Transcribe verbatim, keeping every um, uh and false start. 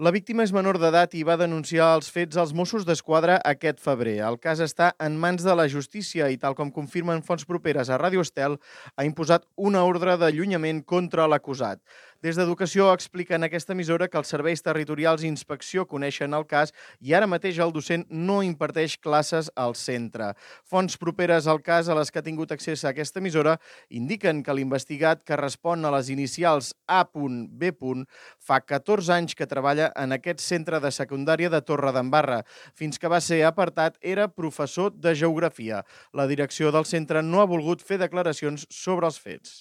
La víctima és menor d'edat i va denunciar els fets als Mossos d'Esquadra aquest febrer. El cas està en mans de la justícia i, tal com confirmen fonts properes a Ràdio Estel, ha imposat una ordre d'allunyament contra l'acusat. Des d'Educació expliquen a aquesta emissora que els serveis territorials i inspecció coneixen el cas i ara mateix el docent no imparteix classes al centre. Fonts properes al cas a les que ha tingut accés a aquesta emissora indiquen que l'investigat, que respon a les inicials A B, fa catorze anys que treballa en aquest centre de secundària de Torredembarra. Fins que va ser apartat, era professor de geografia. La direcció del centre no ha volgut fer declaracions sobre els fets.